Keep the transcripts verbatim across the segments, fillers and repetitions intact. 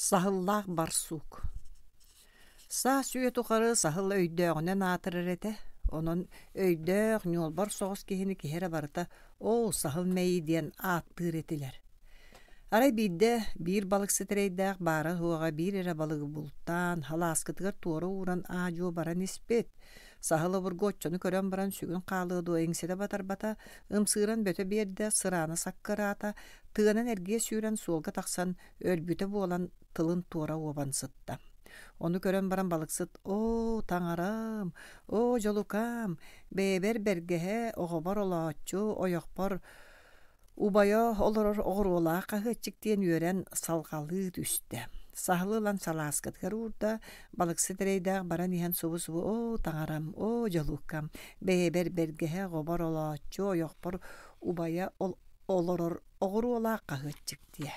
Саһыллаах барсук Саас үйэ тухары саһыл өйдөөҕүнэн аатырар этэ. Онон өйдөөх, ньуолбар соҕус киһини киһи эрэ барыта «Оо, саһыл мэйии» диэн ааттыыр этилэр. Арай биирдэ биир балыксыт эрэйдээх баара-суоҕа биир эрэ балыгы бултаан, халааскытыгар туора ууран аа-дьуо баран испит. Саһыл обургу оччону көрөн баран сүгүн хаалыа дуо иҥсэтэ батарбата, ымсыыран бөтө биэрдэ, сыраана саккыраата, тыанан эргийэ сүүрэн суолга тахсан өлбүтэ буолан тылын туора уобан сытта. Ону көрөн баран балыксыт «Оо, таҥарам, оо, дьолукаам, бэйэбэр бэргэһэ, оҕобор олооччу, ойохпор убайа олорор оҕуруолаах хаһыаччык» диэн үөрэн салҕалыы түстэ. Саһылы ылан салааскатыгар уурда, балыксыт эрэйдээх баран иһэн субу-субу «Оо, таҥарам, оо, дьолукам, бэйэбэр бэргэһэ, оҕобор олооччу, ойохпор убайа олорор оҕуруолаах хаһыаччык» диэ.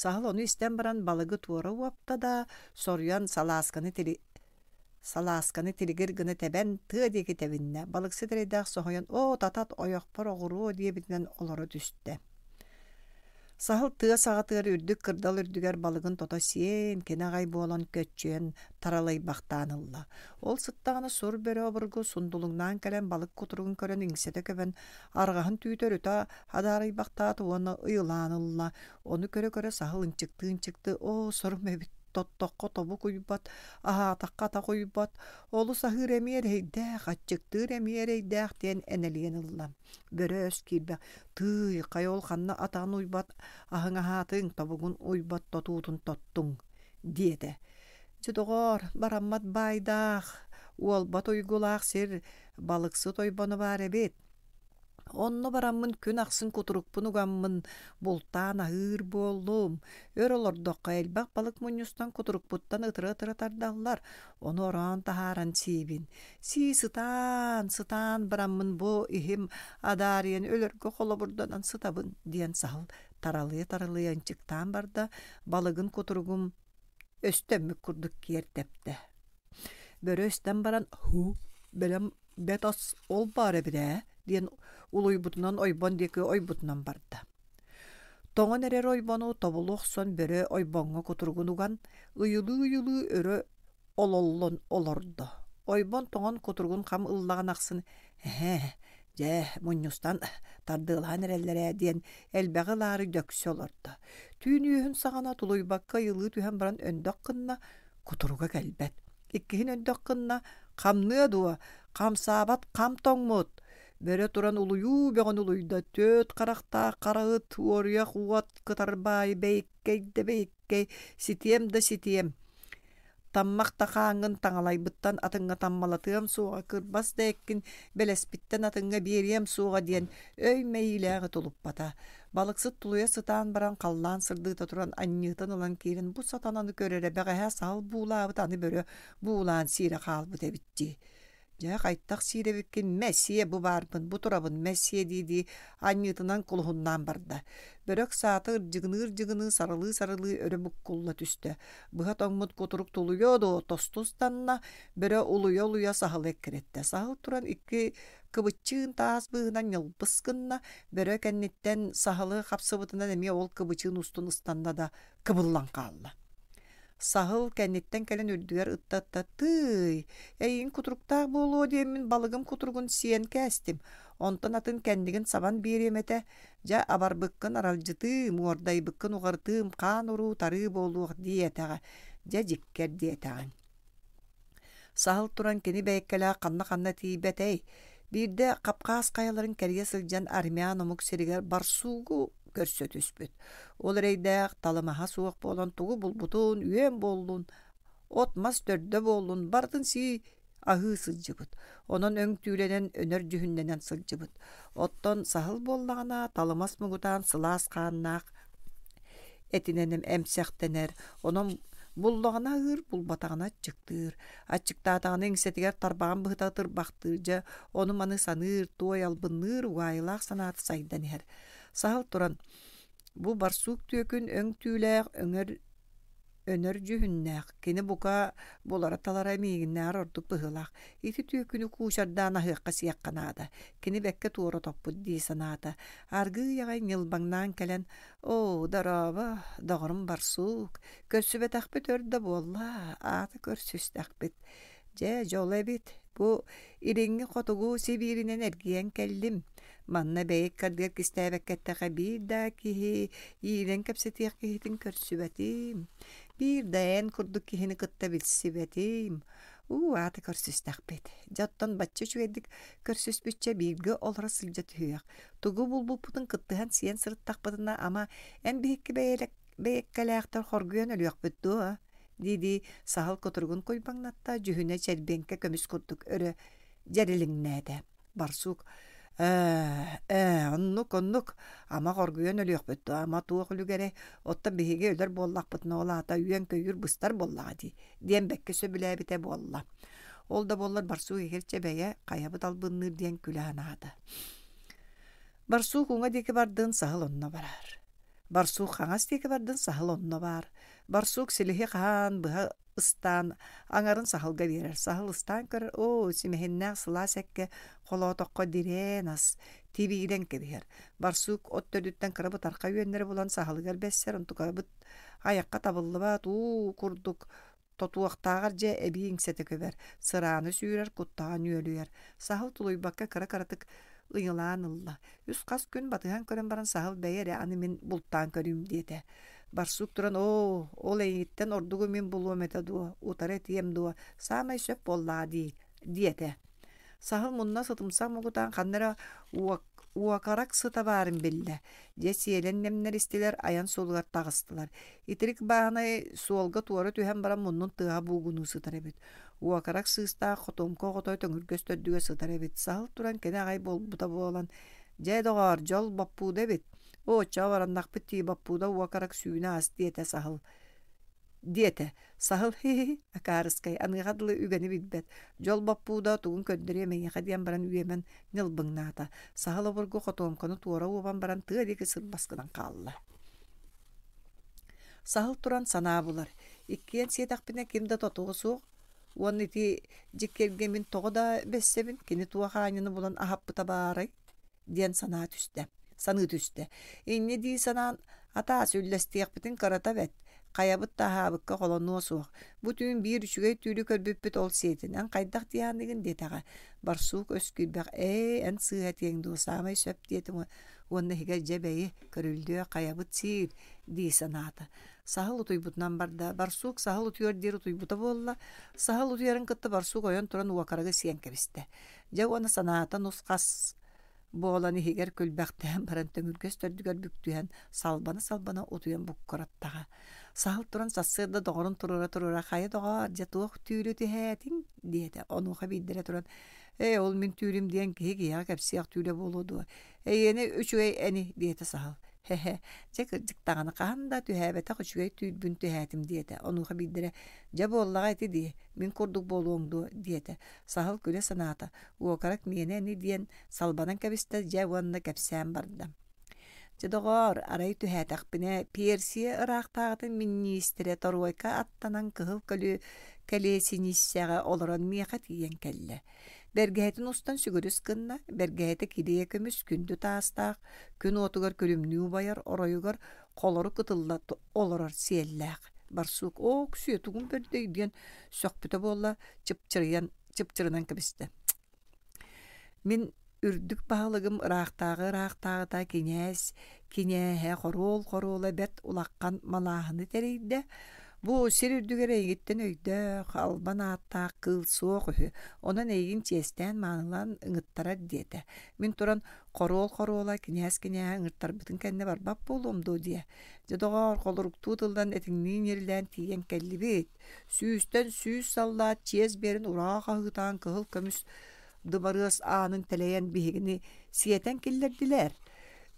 Саһыл ону истэн баран балыгы туора уопта да, соруйан салаасканы тили салаасканы тилигир гына тэбэн тыа диэки тэбиннэ. Балыксыт эрэйдээх соһуйан «Оо, татат, ойохпор оҕуруо» диэбитинэн олоро түстэ. Саһыл тыа саҕатыгар үрдүк кырдал үрдүгэр балыгын тото сиэн, кини аҕай буолан көччүйэн таралыйбахтаан ылла. Ол сыттаҕына сур бөрө обургу сундулуҥнаан кэлэн балык кутуругун көрөн иҥсэтэ көбөн, арҕаһын түүтэ өрүтэ адаарыйбахтаата уонна ыйылаан ылла. Ону көрө-көрө саһыл ынчыктыы-ынчыктыы «Оо, сорум эбит, тоттоххо тобук уйбат, аһаатахха атах уйбат, олус аһыыр эмиэ эрэйдээх, аччыктыыр эмиэ эрэйдээх» диэн энэлийэн ылла. Бөрө өс киирбэх «Тыый, хайа ол ханна атаҕын уйбат аһыҥ аһаатыҥ, тобугун уйбат тотуутун тоттуҥ» диэтэ. Дьэ доҕоор, бараммат баайдаах, уолбат уйгулаах сир балыксыт ойбоно баар эбит. Онно бараммын күн ахсын кутурукпун угаммын бултаан аһыыр буоллум. Өр олордоххо элбэх балык мунньустан кутурукпуттан ытыра-ытыра тардаллар, ону ороон таһааран сиибин. Сии сытаан, сытаан бараммын бу иһим адаарыйан өлөргө холобурданан сытабын диэн саһыл таралыйа-таралыйа ынчыктаан барда, балыгын кутуругум өстөммүт курдук киэр тэптэ. Бөрө өстөн баран «Һуу, бэлэм бэт ас ол баар эбит ээ» диэн улуйбутунан ойбон диэки ойбутунан барда. Тоҥон эрэр ойбону тобулу охсон бөрө ойбоҥҥо кутуругун уган, ыйылыы-ыйылыы өрө ололлон олордо. Ойбон тоҥон кутуругун хам ыллаҕын ахсын «Эһээ, дьэ, мунньустан тардыалаан эрэллэр ээ» диэн элбэҕи ылаары дөксө олордо. Түүн үөһүн саҕана тулуйбакка ыйылыы түһэн баран өндөх гынна, кутуруга кэлбэт. Иккиһин өндөх гынна, хамныа дуо, хамсаабат хам тоҥмут. Бөрө туран улуйуу бөҕөнү улуйда, түөрт харахтаах хара ыт, уоруйах уот кытарбаайы бэйиккэй да бэйиккэй, ситиэм да ситиэм. Таммах да хааҥҥын таҥалайбыттан атыҥҥа таммалатыам суоҕа, кырбас да эккин бэлэспиттэн атыҥҥа биэриэм суоҕа диэн өй мэйиилээҕи тулуппата. Балыксыт тулуйа сытаан баран халлаан сырдыыта туран анньыытын ылан киирэн бу сатананы көрөрө бэҕэһээ саһыл буулаабыт аны бөрө буулаан сиирэ хаалбыт эбит дии. Дьэ, хайтах сиир эбиккин, мэ, сиэ бу баарбын, бу турабын, мэ, сиэ дии-дии анньыытынан кулуһуннаан барда. Бөрөк саата ырдьыгыныы-ырдьыгыныы сарылыы-сарылыы өрө буккулла түстэ. Быһа тоҥмут кутурук тулуйуо дуо, тосту ыстанна, бөрө улуйа-улуйа саһылы эккирэттэ. Саһыл туран икки кыбыччыын таас быыһынан ньылбыс гынна, бөрө кэнниттэн саһылы хапсыбытынан эмиэ ол кыбычыын устун ыстанна да кыбыллан хаалла. Саһыл кэнниттэн кэлэн үрдүгэр ытта-ытта «Тыый, эйигин кутуруктаах буолуо диэммин балыгым кутуругун сиэн кээстим, онтон атын кэннигин сабан биэриэм этэ, дьэ абарбыккын аралдьытыым, уордайбыккын уҕарытыым, хаан уруу тарыы буолуох» диэтэҕэ, дьэ дьиккэр диэтэҕиҥ. Саһыл туран кини бэйэккэлээх ханна-ханна тиийбэтэй, биирдэ Хапхаас хайаларын кэрийэ сылдьан армян омук сиригэр барсуугу көрсө түспүт. Ол эрэйдээх талымаһа суох буолан тугу булбутун, үөн буоллун, от-мас төрдө буоллун, барытын сии аһыы сылдьыбыт. Онон өҥ түүлэнэн, өнөр дьүһүннэнэн сылдьыбыт. Оттон саһыл буоллаҕына талымас муҥутаан сылаас хааннаах этинэн эмсэхтэнэр. Онон буллаҕына аһыыр, булбатаҕына аччыктыыр. Аччыктаатаҕына иҥсэтигэр тарбаҕын быһыта тырбахтыыр, дьэ ону-маны саныыр, туой албынныыр, угаайылаах санаата сайдан иһэр. Саһыл туран бу барсук түөкүн өҥ түүлээх өҥөр Өнөр дьүһүннээх, кини бука булара-талара миигиннээҕэр ордук быһыылаах. Ити түөкүнү куучардаан аһыахха-сиэххэ наада. Кини бэккэ туора топпут дии санаата. Аргыый аҕай ньылбаҥнаан кэлэн, «Оо, дорообо, доҕорум барсуук, көрсүбэтэхпит өр да буолла, аата көрсүстэхпит. Дьэ, дьоло эбит, бу илиҥҥи хотугу Сибииринэн эргийэн кэллим. Манна бэйик кардыгар кистээбэккэ эттэххэ биир да киһи иирэн кэпсэтиэх киһитин көрсүбэтим. Биир да эн курдук киһини кытта билсибэтим. Уу, аата көрсүстэхпит. Дьэ, оттон бачча үчүгэйдик көрсүспүччэ бииргэ олоро сылдьа түһүөх. Тугу булбуппутун кыттыһан сиэн сырыттахпытына, ама эн биһикки бэйэлэк бэйэккэлээхтэр хоргуйан өлүөхпүт дуо? Дии-дии саһыл кутуругун куйбаҥнатта, дьүһүнэ чэрбиэҥкэ көмүс курдук өрө дьэрилиҥнээтэ. Барсук ээ, ээ, оннук, оннук, ама хоргуйан өлүөхпүт дуо, ама туох үлүгэрэй, оттон биһиги өлөр буоллахпытына ол аата үөн-көйүүр быстар буоллаҕа дии, диэн бэккэ сөбүлээбитэ буолла. Ол да буоллар Барсук иһирдьэ бэйэ хайабыт албынныыр диэн күлэ санаата. Барсук уҥа диэки бардын, саһыл онно барар. Барсук хаҥас диэки бардын, саһыл онно баар. Барсук силиһи хаһан быһа ыстаан аҥарын саһылга биэрэр. Саһыл ыстаан көрөр, оо, симэһиннээх сылаас эккэ холоотоххо дирээн ас, тибиирэн кэбиһэр. Барсук от төрдүттэн кыра бытархай үөннэри булан саһылыгар бэссэр, онтукабыт айахха табыллыбат уу курдук тотуохтааҕар дьэ эбии иҥсэтэ көбөр, сырааны сүүрэр, куттаҕа нүөлүйэр. Саһыл тулуйбакка кыра-кыратык ыйылаан ылла. Үс-хас күн батыһан көрөн баран саһыл бэйэ эрэ аны мин бултаан көрүүм диэтэ. Барсук туран оо, ол эйигиттэн ордугу мин булуом этэ дуо, утары этиэм дуо, саамай сөп буоллаҕа дии, диэтэ. Саһыл мунна сытымсах муҥутаан ханна эрэ уокарак сыта баарын биллэ. Дьэ сиэлэн нэмнэристилэр, айан суолугар таҕыстылар. Итирик бааһынай суолга туора түһэн баран муннун тыаһа буугунуу сытар эбит. Уокарак сыыстаах хотуомка оҕото төҥүргэс төрдүгэр сытар эбит. Саһыл туран кини аҕай буолбута буолан, «Дьэ, доҕоор, дьол боппууда эбит. Оо, оччоҕо бараннахпыт дии, боппууда уокарак сүүнэ ас» диэтэ саһыл. Диэтэ. Саһыл хи-хи, акаарыскай, аныаха дылы үгэни билбэт. Дьол боппууда тугун көрдөрүөм эйиэхэ диэн баран үөмэн ньылбыҥнаата. Саһыл обургу хотуомканы туора уобан баран тыа диэки сырбас гынан хаалла. Саһыл туран санаа булар. Иккиэн сиэтэхпинэ ким да тотуо суох. Уонна ити дьиккэргэ мин тоҕо да бэссэбин, кини туох аанньаны булан аһаппыта баарай диэн санаа түстэ. Саныы түстэ. Инньэ дии санаан, атаас үллэстиэхпитин кырата бэт, хайабыт да аһаабыкка холонуо суох. Бу түүн биир үчүгэй түүлү көрбүппүт ол сиэтин. Эн хайдах диэханыгын диэтэҕэ. Барсук өс киирбэх ээ, эн сыыһа этиэҥ дуо, саамай сөп диэтим уонна иһигэр дьэ бэйи, көрүллүө, хайабыт сиир дии санаата. Саһыл утуйбутунан барда. Барсук саһыл утуйар диир утуйбута буолла. Саһыл утуйарын кытта барсук ойон туран уокарагы сиэн кэбистэ. Дьэ уонна санаата нус-хас буолан иһигэр күлбэхтээн баран төҥүргэс төрдүгэр бүктүһэн салбана-салбана утуйан буккураттаҕа. Саһыл туран сарсыарда доҕорун туруора-туруора хайа доҕоор, дьэ туох түүлү түһээтиҥ диэтэ. Онуоха биирдэрэ туран ээ, ол мин түүлүм диэн киһи киһиэхэ кэпсиэх түүлэ буолуо дуо? Эйиэнэ үчүгэй эни диэтэ саһыл. Хэ-хэ, дьэ кырдьык даҕаны хаһан да түһээбэтэх үчүгэй түүрбүн түһээтим диэтэ. Онуоха биирдэрэ дьэ буоллаҕа ити дии, мин курдук буолуоҥ дуо диэтэ. Саһыл күлэ санаата, уокарак миэнэ ини диэн салбанан кэбистэ дьэ уонна кэпсээн барда. Дьэ доҕоор, арай түһээтэхпинэ, Персия ыраахтааҕытын миниистирэ торуойка аттанан кыһыл көлү кэлиэсиниссэҕэ олорон миэхэ тиийэн кэллэ. Бэргэһэтин устан сүгүрүс гынна, бэргэһэтэ килиэ көмүс күндү таастаах, күн уотугар күлүмнүү убайар, оройугар холору кытылла олорор сиэллээх. Барсук оо, күсүө тугун бэрдэй диэн сөхпүтэ буолла, чыпчырыйан чыпчырынан кэбистэ. Мин үрдүк баһылыгым ыраахтааҕы ыраахтааҕыта кинээс кинээһэ хоруол хоруола бэрт улахан малааһыны тэрийдэ. Бу сир үрдүгэр эйигиттэн өйдөөх, албан ааттаах кыыл суох үһү. Онон эйигин чиэстээн маанылаан ыҥыттарар диэтэ. Мин туран хоруол хоруола кинээс кинээһэ ыҥыртарбытын кэннэ барбат буолуом дуо диэ. Дьэ доҕоор, холоруктуу тыллан этиҥниин ирлээн тиийэн кэллибит. Сүүстэн сүүс саллаат чиэс биэрэн ураа хаһыытаан кыһыл көмүс дыбарыас аанын тэлэйэн биһигини сиэтэн киллэрдилэр.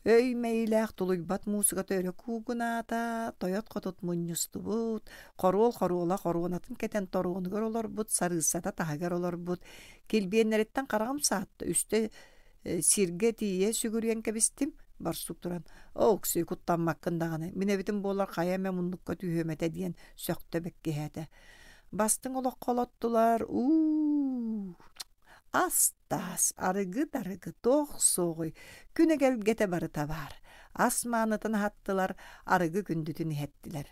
Өй мэйилээх тулуйбат муусуката өрө куугунаата, тойот-хотут мунньустубут, хоруол хоруола хоруонатын кэтэн торуонугар олорбут, сарыыссата таһыгар олорбут, килбиэннэриттэн хараҕым саатта, үстэ сиргэ тиийэ сүгүрүйэн кэбистим, Барсук туран, «Оо, Оксуй, куттаммаккын даҕаны, мин эбитим буоллар хайа эмэ муннукка түһүөм этэ» диэн сөхтө бэккиһээтэ. Бастыҥ олоххо олоттулар, уу ас-таас, арыгы-дарыгы туох суоҕуй, күн эгэлгэтэ барыта баар. Ас маанытын аһаттылар, арыгы күндүтүн иһэттилэр.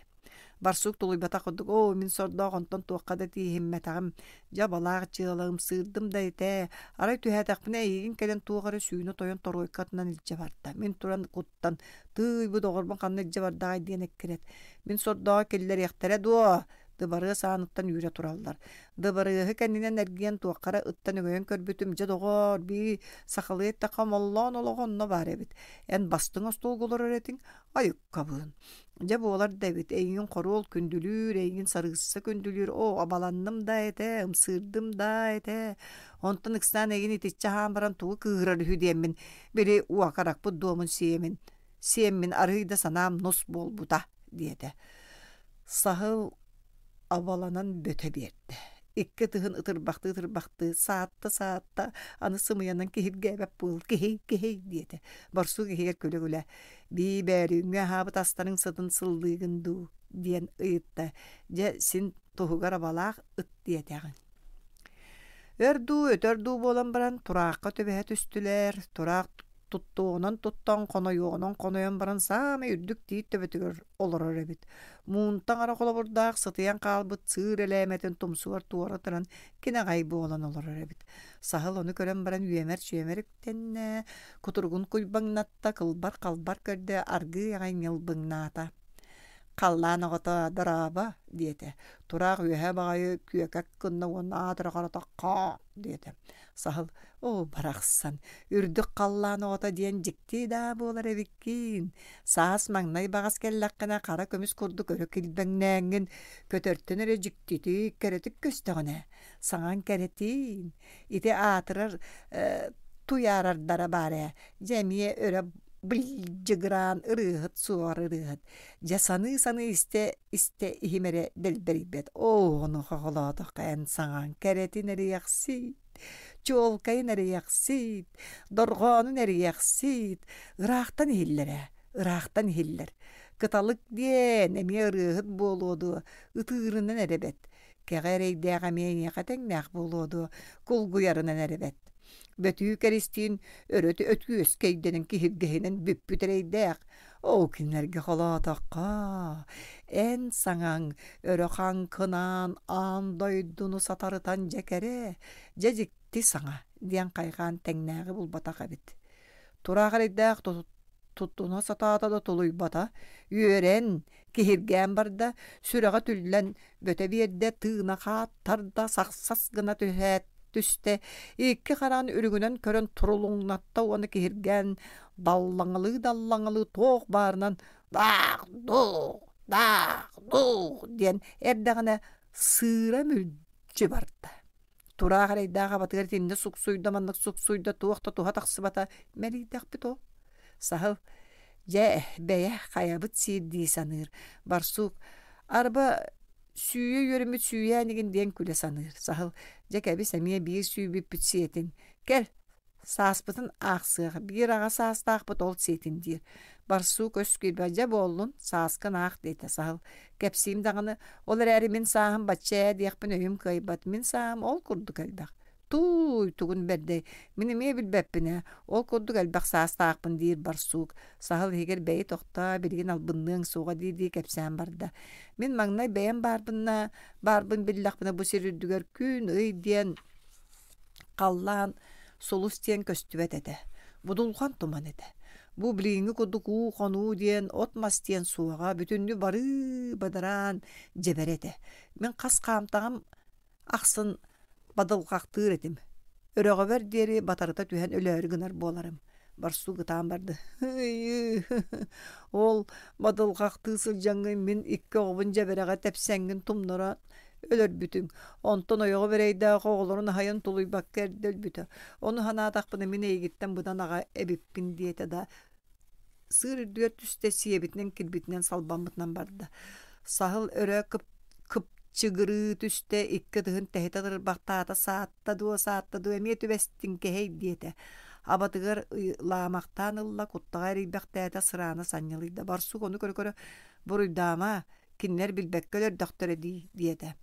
Барсук тулуйбатах курдук, «Оо, мин сордоох онтон туохха да тииһиммэтэҕим, дьэ абалаах дьыалам, сыырдым да этэ, арай түһээтэхпинэ эйигин кэлэн туох эрэ сүүнэ тойон торуойкатынан илдьэ барда. Мин туран куттан, тыый бу доҕорбун ханна илдьэ бардаҕай диэн эккирэт. Мин сордооҕу киллэриэхтэрэ дуо?» Дыбарыас ааныттан үүрэ тураллар. Дыбарыаһы кэннинэн эргийэн туохха эрэ ыттан өҥөйөн көрбүтүм, дьэ доҕоор, бии сахалыы эттэххэ омоллоон олоҕо онно баар эбит. Эн бастыҥ остуолга олорор этиҥ, айыккабыын. Дьэ буолар да эбит, эйигин хоруол күндүлүүр, эйигин сарыысса күндүлүүр, оо, абаланным да этэ, ымсыырдым да этэ. Онтон ыксаан эйигин итиччэ аһаан баран тугу кыыһырар үһү диэммин, били уокаракпыт дуомун сиэмин, сиэммин арыый да санаам нус буолбута, диэтэ. Саһыл абаланан бөтө биэрдэ. Икки ытыһын ытырбахтыы-ытырбахтыы саатта-саатта, аны сымыйанан киһиргээбэт буол, киһий, киһий диэтэ. Барсук иһигэр күлэ-күлэ, «Бии бөөлүүҥҥү аһаабыт астарыҥ сытын сыллыыгын дуу?» диэн ыйытта. Дьэ, син туһугар абалаах ыт диэтэҕиҥ. Өр дуу, өтөр дуу буолан баран, тураахха түбэһэ түстүлэр. Тураах туттуоҕунан туттан, хонойуоҕунан хонойон баран саамай үрдүк тиит төбөтүгэр олорор эбит. Муунтаҥ эрэ холобурдаах сытыйан хаалбыт сыыр элээмэтин тумсугар туора туран кинэҕэй буолан олорор эбит. Саһыл ону көрөн баран үөмэр-чүөмэр үктэннэ, кутуругун куйбаҥнатта, кылбар-халбар көрдө, аргыый аҕай ньылбыҥнаата. «Халлаан оҕото, дорообо!» диэтэ. Тураах үөһэ баҕайы күөкэк гынна уонна аатыра харата «Хаа!» диэтэ. Саһыл «Оо, барахсан, үрдүк халлаан оҕото диэн дьикти даа буолар эбиккин. Саас маҥнай баҕас кэллэххинэ хара көмүс курдук өрө килбэҥнээҥҥин, көтөртөн эрэ дьиктитик, кэрэтик көстөҕүнэ, саҥаҥ кэрэтиин. Ити аатырар э, туйаарардара баар ээ, дьэ эмиэ өрө былдьыгыраан ырыаһыт суор ырыаһыт. Дьэ саныы-саныы истэ-истэ иһим эрэ дэлбэрийбэт. Оо, ону хоҕолоотоххо эн саҥаҥ кэрэтин эриэхсит, чуолкайын эриэхсит, дорҕоонун эриэхсит, ыраахтан иһиллэр ээ, ыраахтан иһиллэр. Кыталык диэн эмиэ ырыаһыт буолуо дуо, ытыырынан эрэ бэт. Кэҕэ эрэйдээх эмиэ эйиэхэ тэҥнээх буолуо дуо, кулгуйарынан эрэ бэт. Бөтүү кэристиин өрө өтүөскэйдэнэн киһиргэһинэн бүппүт эрэйдээх. Оо, кинилэргэ холоотоххо, эн саҥаҥ өрө хаҥкынаан аан дойдуну сатарытан дьэ кэрэ, дьэ дьикти саҥа диэн хайҕаан тэҥнээҕи булбатах эбит. Тураах эрэйдээх туттуна сатаата да тулуйбата, үөрэн, киһиргээн барда, сүрэҕэ түллэн бөтө биэрдэ, тыына хааттарда, сахсас гына түһээт түстэ, икки хараҕын үрүҥүнэн көрөн турулуҥнатта уонна киһиргээн даллаҥалыы-даллаҥалыы туох баарынан «Даах-дуух, даах-дуух» диэн эрдэҕинэ сыыра мүлдьү барда. Тураах эрэйдээх абатыгар итиннэ суксуйда, маннык суксуйда, туох да туһа тахсыбата, мэлийдэхпит ол. Саһыл, дьэ, бэйэ хайабыт сиир дии саныыр. Барсук, арба сүүйэ үөрэммит сүүйээнигин диэн күлэ саныыр. Саһыл, дьэ кэбис эмиэ биир сүүйбүппүт сиэтин. Кэл, сааспытын аахсыах, биир аҕа саастаахпыт ол сиэтин диир. Барсук өс киирбэ, дьэ буоллун, сааскын аах диэтэ Саһыл. Кэпсиим даҕаны, ол эрээри мин сааһым бачча ээ диэхпин өйүм кыайбат, мин сааһым ол курдук элбэх. Тууй, тугун бэрдэй, мин эмиэ билбэппин ээ, ол курдук элбэх саастаахпын диир барсук. Саһыл иһигэр бэйи тохтоо, билигин албынныаҥ суоҕа дии-дии кэпсээн барда. Мин маҥнай бэйэм баарбынна, баарбын биллэхпинэ бу сир үрдүгэр күн, ый диэн халлаан, сулус диэн көстүбэт этэ. Будулҕан туман этэ. Бу билиҥҥи курдук уу хонуу диэн, от-мас диэн суоҕа, бүтүннүү барыы бадараан дьэбэрэ этэ. Мин хас хаамтаҕым ахсын бадылҕахтыыр этим. Өрөҕөбөр диэри батарыта түһэн өлөөрү гынар буоларым. Барсук ытаан барды. Ол бадылҕахтыы сылдьаҥҥын мин икки оҕобун дьэбэрэҕэ тэпсэҥҥин тумнара өлөрбүтүҥ. Онтон ойоҕум эрэйдээх оҕолорун аһайан тулуйбакка эрдэ өлбүтэ. Ону санаатахпына мин эйигиттэн быдан аҕа эбиппин диэтэ да сыыр үрдүгэр түстэ сиэбитинэн кирбитинэн салбаммытынан барда. Саһыл өрө кып кыпчыгырыы түстэ, икки ытыһын тэһитэ тырбахтаата, саатта дуо, саатта дуо, эмиэ түбэстиҥ кэһэй диэтэ. Абатыгар лаамахтаан ылла, куттаҕа эрийбэхтээтэ, сыраана санньылыйда. Барсук ону көрө-көрө буруйдаама, кинилэр билбэккэ өлөрдөхтөрө дии диэтэ.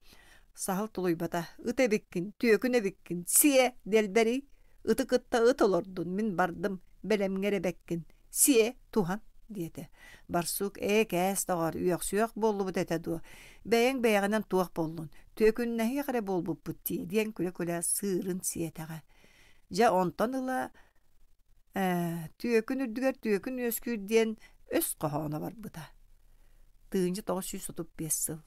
Саһыл тулуйбата, ыт эбиккин, түөкүн эбиккин, сиэ, дэлбэрий, ыты кытта ыт олордун, мин бардым, бэлэмҥэ эрэ бэккин, сиэ, туһан диэтэ. Барсук ээ кээс доҕор, үөхсүөх буоллубут этэ дуо, бэйэҥ бэйэҕинэн туох буоллун, түөкүннэһиэх эрэ буолбуппут дии диэн күлэ-күлэ сыырын сиэтэҕэ. Дьэ онтон ыла ээ, түөкүн үрдүгэр түөкүн үөскүүр диэн өс хоһооно барбыта. Тыынча тоҕус сүүс отут биэс сыл.